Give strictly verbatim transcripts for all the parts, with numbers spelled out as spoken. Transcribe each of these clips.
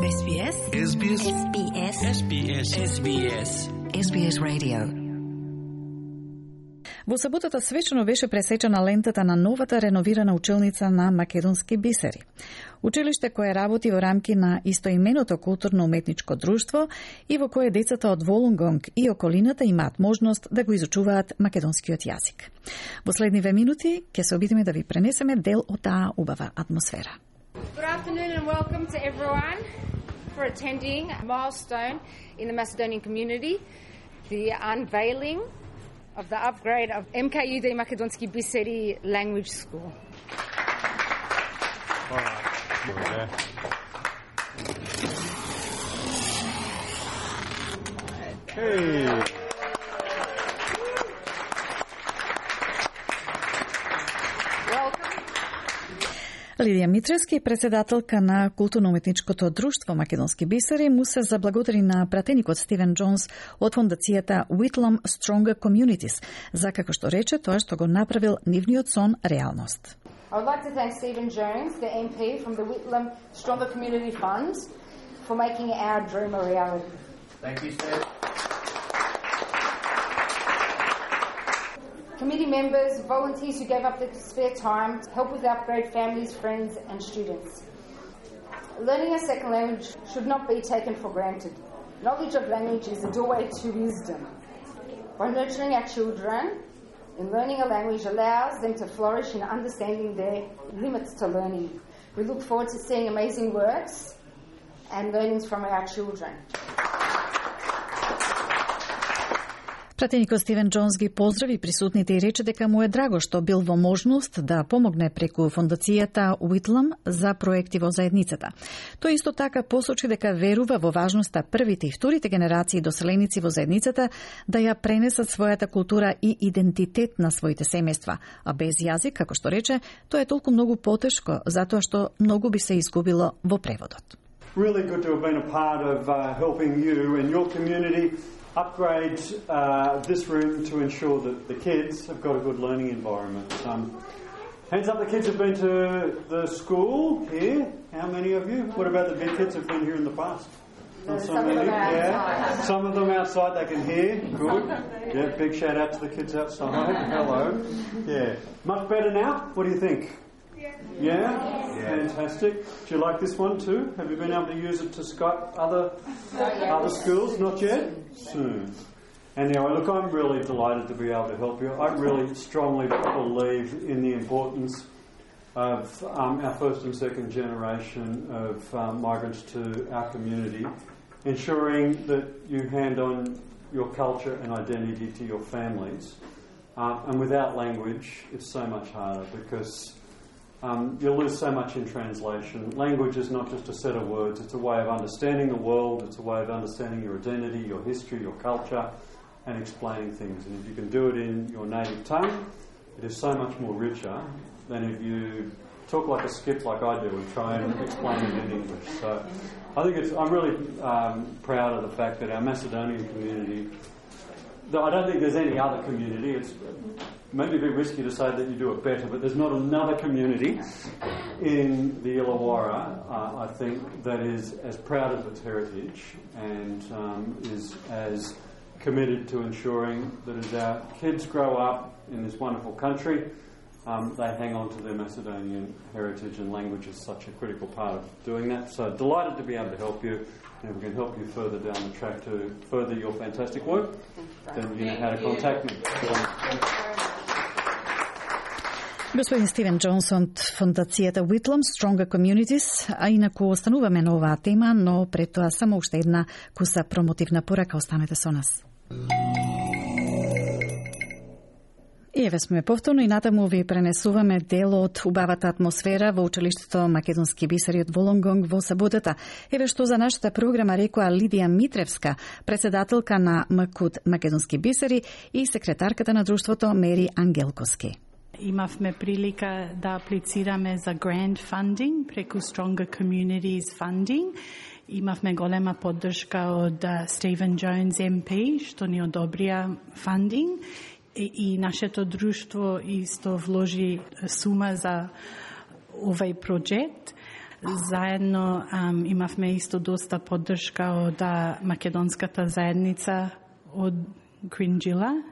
Ес Би Ес. Ес Би Ес. Ес Би Ес. Ес Би Ес. Ес Би Ес. Ес Би Ес Radio. Во саботата свечено беше пресечена лентата на новата реновирана училница на Македонски бисери. Училиште кое работи во рамки на истоименото културно-уметничко друштво и во кое децата од Волунгонг и околината имаат можност да го изучуваат македонскиот јазик. Во следниве минути ќе се обидиме да ви пренесеме дел од таа убава атмосфера. Good afternoon and welcome to everyone for attending a milestone in the Macedonian community, the unveiling of the upgrade of M K U D Makedonski Biseri Language School. All right. Hey. Лидија Митревски, председателка на културно-уметничкото друштво Македонски бисери, му се заблагодари на пратеникот Стивен Джонс од фондацијата Whitlam Stronger Communities за, како што рече, тоа што го направил нивниот сон реалност. I would like to thank Stephen Jones, the M P from the Whitlam Stronger Community Fund, for making our dream a reality. Thank you, Steve. Committee members, volunteers who gave up their spare time to help with the upgrade, families, friends and students. Learning a second language should not be taken for granted. Knowledge of language is a doorway to wisdom. By nurturing our children in learning a language allows them to flourish in understanding their limits to learning. We look forward to seeing amazing works and learnings from our children. Пратеникот Стивен Джонс ги поздрави присутните и рече дека му е драго што бил во можност да помогне преку фондацијата Whitlam за проекти во заедницата. Тој исто така посочи дека верува во важноста првите и вторите генерации доселеници во заедницата да ја пренесат својата култура и идентитет на своите семејства, а без јазик, како што рече, тоа е толку многу потешко, затоа што многу би се изгубило во преводот. Really good to have been a part of uh, helping you and your community upgrade uh, this room to ensure that the kids have got a good learning environment. Um, hands up, the kids have been to the school here. How many of you? What about the big kids who've been here in the past? Not so many. Yeah. Some of them outside they can hear. Good. Yeah, big shout out to the kids outside. Hello. Yeah. Much better now? What do you think? Yeah? Yeah? Fantastic. Do you like this one too? Have you been able to use it to Skype other other schools? Not yet? Soon. Anyway, look, I'm really delighted to be able to help you. I really strongly believe in the importance of um, our first and second generation of um, migrants to our community, ensuring that you hand on your culture and identity to your families. Um, and without language, it's so much harder because Um, you'll lose so much in translation. Language is not just a set of words, it's a way of understanding the world, it's a way of understanding your identity, your history, your culture, and explaining things. And if you can do it in your native tongue, it is so much more richer than if you talk like a skip like I do and try and explain it in English. So I think it's, I'm really um, proud of the fact that our Macedonian community, though I don't think there's any other community, it's maybe a bit risky to say that you do it better, but there's not another community in the Illawarra, uh, I think, that is as proud of its heritage and um, is as committed to ensuring that as our kids grow up in this wonderful country, um, they hang on to their Macedonian heritage, and language is such a critical part of doing that. So delighted to be able to help you, and if we can help you further down the track to further your fantastic work, then you know how to contact me. Господин Стивен Джонс од фондацијата Whitlam Stronger Communities, а инаку остануваме на оваа тема, но пред тоа само уште една куса промотивна порака, останете со нас. И еве сме повторно и натаму ви пренесуваме дел од убавата атмосфера во училиштето Македонски бисери од Волунгонг во саботата. Еве што за нашата програма рекоа Лидија Митревска, председателка на МКУД Македонски бисери и секретарката на друштвото Мери Ангелковски. Имавме прилика да аплицираме за grant funding преку Stronger Communities funding. Имавме голема поддршка од Стивен Джонс Ем Пи, што ни одобрија funding. И, и нашето друштво исто вложи сума за овај проект. Заедно um, имавме исто доста поддршка од македонската заедница од Кринџила.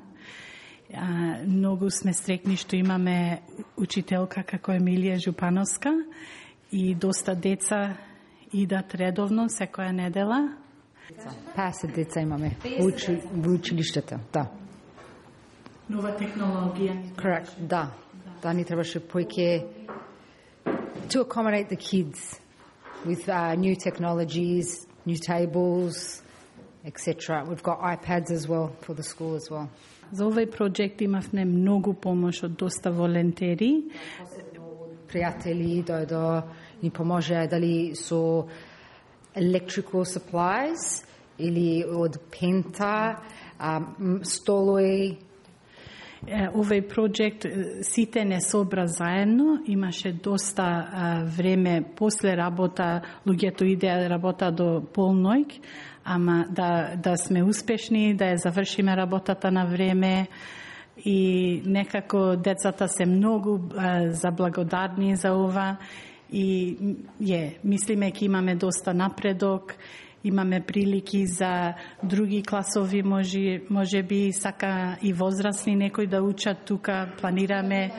Uh, многу сме стрекни што имаме учителка како Емилија Жупановска и доста деца идат редовно секоја недела. песет деца имаме учи, во училиштето, да. Нова технологија. Correct, да. Да, ни требаше повеќе to accommodate the kids with uh, new technologies, new tables, et cetera. We've got iPads as well for the school as well. За овој проект имавме многу помош од доста волонтери. Пријатели дојдо ни поможеа дали со electrical supplies или од пента, um, столои. Овој проект сите не собра заедно, имаше доста а, време после работа, луѓето идеа работа до полноќ, ама да, да сме успешни, да ја завршиме работата на време и некако децата се многу а, заблагодарни за ова и е, мислиме ке имаме доста напредок, имаме прилики за други класови, може, може би сака и возрастни некои да учат тука, планираме,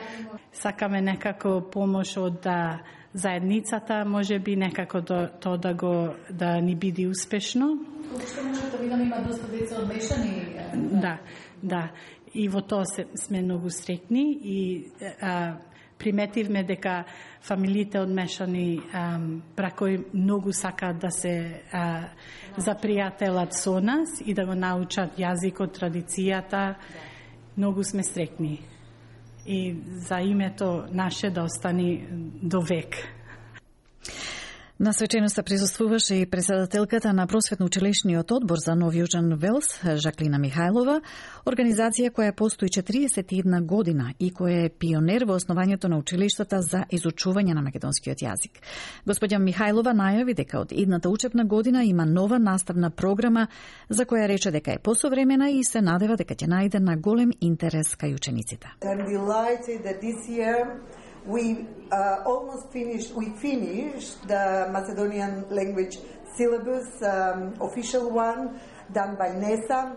сакаме некако помош од да, заедницата, може би некако до, то да го да ни биде успешно. Што може да видам има доста деца одмешани? Да, да. И во тоа се, сме многу стрекни и а, приметивме дека фамилиите одмешани бракови многу сакаат да се а, запријателат со нас и да го научат јазикот, традицијата. Многу сме стрекни. И за името наше да остани до век. На свеченоста присуствуваше и председателката на Просветно-училишниот одбор за Нов Јужен Велс, Жаклина Михајлова, организација која постои четириесет и една година и која е пионер во основањето на училиштата за изучување на македонскиот јазик. Господја Михајлова најави дека од идната учебна година има нова наставна програма за која рече дека е посовремена и се надева дека ќе најде на голем интерес кај учениците. We uh, almost finished, we finished the Macedonian language syllabus, um, official one, done by NESA,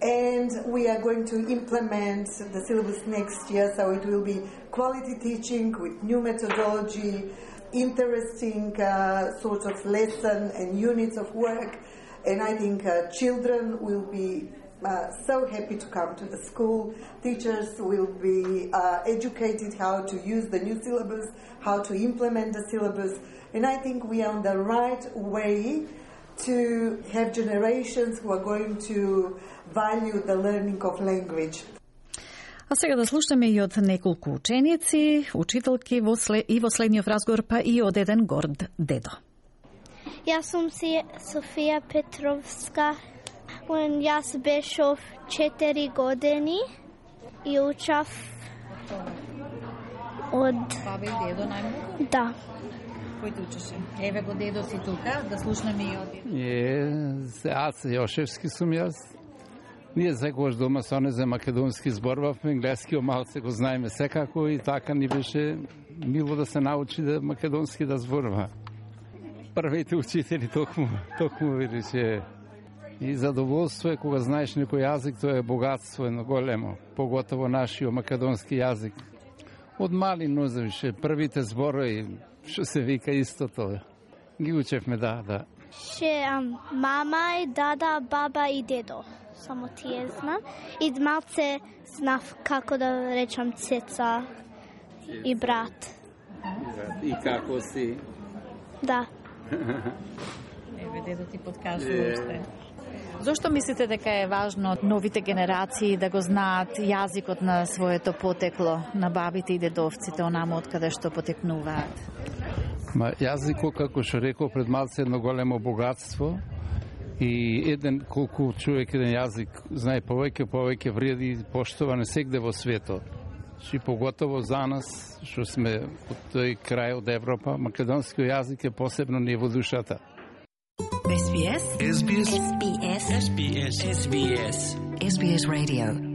and we are going to implement the syllabus next year, so it will be quality teaching with new methodology, interesting uh, sort of lesson and units of work, and I think uh, children will be Uh, so happy to come to the school. Teachers will be uh, educated how to use the new syllabus, how to implement the syllabus, and I think we are on the right way to have generations who are going to value the learning of language. А сега да слушаме и од неколку ученици, учителки во след... и во следниот разговор, па и од еден горд дедо. Јас сум Софија Петровска. When јас бешов четири години и учав од... Баба и дедо најмногу? Да. Кој учеше? Еве го дедо си тука, да слушнеме и од... Е, аз Јошевски сум јас. Ние секогаш дома со не за македонски зборувавме, енглески малце го знаеме секако и така ни беше мило да се научи да македонски да зборува. Првите учители токму, токму видеше. И задоволство е кога знаеш некој јазик, тоа е богатство едно големо, поготово нашиот македонски јазик. Од мали нозевише, првите зборови, што се вика истото, ги учевме, да, да. Ше мама и дада, баба и дедо, само тие знам. И малце знав како да речам цеца и брат. И како си? Да. Еве, дедо ти подкажува уште. Зошто мислите дека е важно новите генерации да го знаат јазикот на своето потекло, на бабите и дедовците, онамо од каде што потекнуваат? Ма јазикот, како што рекол пред малце, едно големо богатство и еден колку човек еден јазик знае повеќе, повеќе вреди и поштоване сегде во светот. И поготово за нас, што сме од тој крај од Европа, македонскиот јазик е посебно ни во душата. S B S S B S S B S S B S S B S Radio